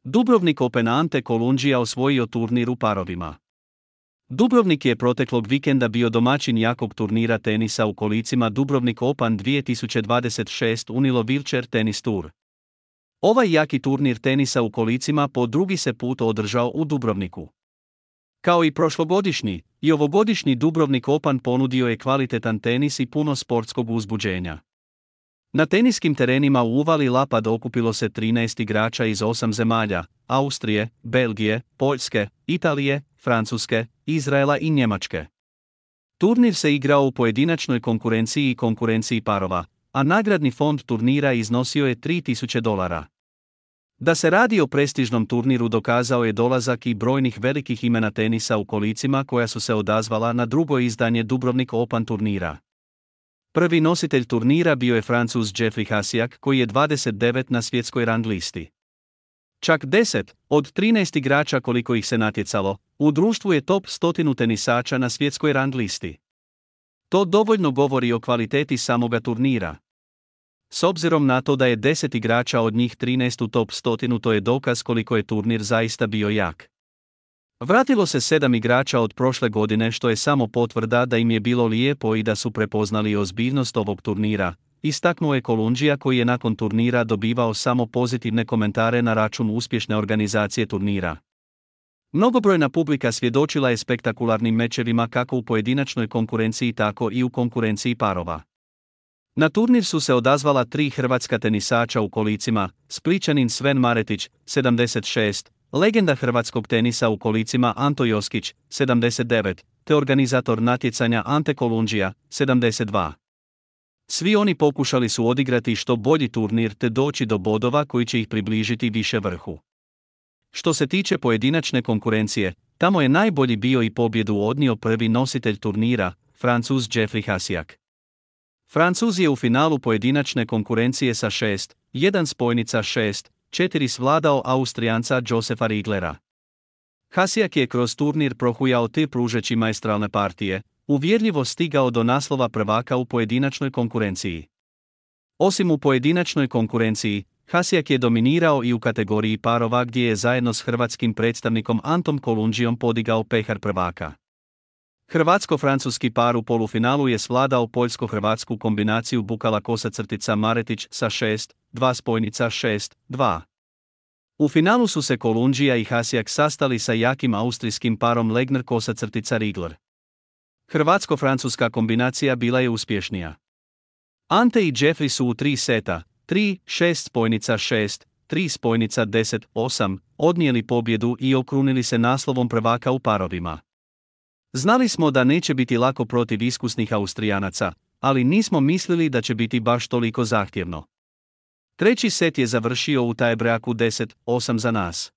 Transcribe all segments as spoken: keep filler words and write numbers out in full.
Dubrovnik Open Ante Kolundžija osvojio turnir u parovima. Dubrovnik je proteklog vikenda bio domaćin jakog turnira tenisa u kolicima Dubrovnik Open dvije tisuće dvadeset šest Unilo Wheelchair Tennis Tour. Ovaj jaki turnir tenisa u kolicima po drugi se put održao u Dubrovniku. Kao i prošlogodišnji, i ovogodišnji Dubrovnik Open ponudio je kvalitetan tenis i puno sportskog uzbuđenja. Na teniskim terenima u uvali Lapad okupilo se trinaest igrača iz osam zemalja: Austrije, Belgije, Poljske, Italije, Francuske, Izraela i Njemačke. Turnir se igrao u pojedinačnoj konkurenciji i konkurenciji parova, a nagradni fond turnira iznosio je tri tisuće dolara. Da se radi o prestižnom turniru dokazao je dolazak i brojnih velikih imena tenisa u kolicima koja su se odazvala na drugo izdanje Dubrovnik Open turnira. Prvi nositelj turnira bio je Francuz Jeffrey Hasiak koji je dvadeset devet na svjetskoj rang listi. Čak deset od trinaest igrača koliko ih se natjecalo, u društvu je top stotinu tenisača na svjetskoj rang listi. To dovoljno govori o kvaliteti samoga turnira. S obzirom na to da je deset igrača od njih trinaest u top stotinu, to je dokaz koliko je turnir zaista bio jak. Vratilo se sedam igrača od prošle godine, što je samo potvrda da im je bilo lijepo i da su prepoznali ozbiljnost ovog turnira, istaknuo je Kolundžija koji je nakon turnira dobivao samo pozitivne komentare na račun uspješne organizacije turnira. Mnogobrojna publika svjedočila je spektakularnim mečevima kako u pojedinačnoj konkurenciji tako i u konkurenciji parova. Na turnir su se odazvala tri hrvatska tenisača u kolicima: Splićanin Sven Maretić, sedamdeset šest, legenda hrvatskog tenisa u kolicima Anto Joskić, sedamdeset devet, te organizator natjecanja Ante Kolundžija, sedamdeset dva. Svi oni pokušali su odigrati što bolji turnir te doći do bodova koji će ih približiti više vrhu. Što se tiče pojedinačne konkurencije, tamo je najbolji bio i pobjedu odnio prvi nositelj turnira, Francuz Jeffrey Hasiak. Francuz je u finalu pojedinačne konkurencije sa šest jedan spojnica šest četiri svladao Austrijanca Josefa Riglera. Hasiak je kroz turnir prohujao te pružeći maestralne partije, uvjerljivo stigao do naslova prvaka u pojedinačnoj konkurenciji. Osim u pojedinačnoj konkurenciji, Hasiak je dominirao i u kategoriji parova gdje je zajedno s hrvatskim predstavnikom Antom Kolundžijom podigao pehar prvaka. Hrvatsko-francuski par u polufinalu je svladao poljsko-hrvatsku kombinaciju Bukala Kosa Maretić sa šest dva spojnica šest dva. U finalu su se Kolundžija i Hasiak sastali sa jakim austrijskim parom Legner Kosa Rigler. Hrvatsko-francuska kombinacija bila je uspješnija. Ante i Jeffrey su u tri seta, tri šest spojnica šest tri spojnica deset osam, odnijeli pobjedu i okrunili se naslovom prvaka u parovima. Znali smo da neće biti lako protiv iskusnih Austrijanaca, ali nismo mislili da će biti baš toliko zahtjevno. Treći set je završio u tajbreaku deset osam za nas.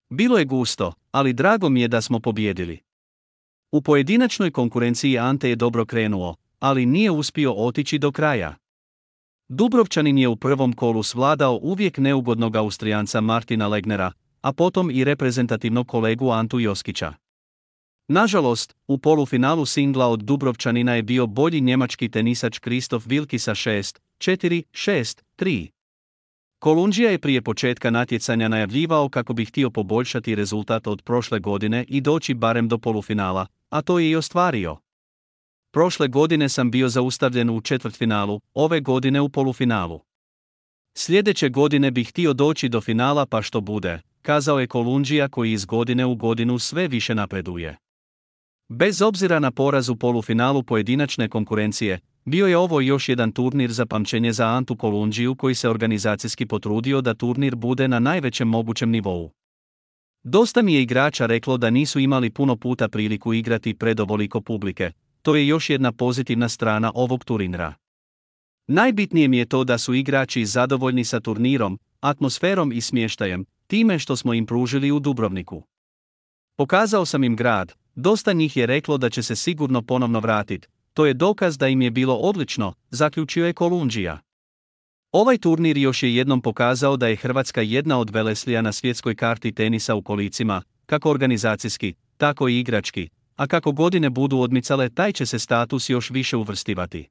Bilo je gusto, ali drago mi je da smo pobijedili. U pojedinačnoj konkurenciji Ante je dobro krenuo, ali nije uspio otići do kraja. Dubrovčanin je u prvom kolu svladao uvijek neugodnog Austrijanca Martina Legnera, a potom i reprezentativnog kolegu Antu Joskića. Nažalost, u polufinalu singla od Dubrovčanina je bio bolji njemački tenisač Christoph Wilki sa šest četiri šest tri. Kolundžija je prije početka natjecanja najavljivao kako bi htio poboljšati rezultat od prošle godine i doći barem do polufinala, a to je i ostvario. Prošle godine sam bio zaustavljen u četvrtfinalu, ove godine u polufinalu. Sljedeće godine bih htio doći do finala pa što bude, kazao je Kolundžija koji iz godine u godinu sve više napreduje. Bez obzira na poraz u polufinalu pojedinačne konkurencije, bio je ovo još jedan turnir za pamćenje za Antu Kolundžiju koji se organizacijski potrudio da turnir bude na najvećem mogućem nivou. Dosta mi je igrača reklo da nisu imali puno puta priliku igrati pred ovoliko publike, to je još jedna pozitivna strana ovog turnira. Najbitnije mi je to da su igrači zadovoljni sa turnirom, atmosferom i smještajem, time što smo im pružili u Dubrovniku. Pokazao sam im grad, dosta njih je reklo da će se sigurno ponovno vratiti, to je dokaz da im je bilo odlično, zaključio je Kolundžija. Ovaj turnir još je jednom pokazao da je Hrvatska jedna od veleslija na svjetskoj karti tenisa u kolicima, kako organizacijski, tako i igrački, a kako godine budu odmicale taj će se status još više uvrstivati.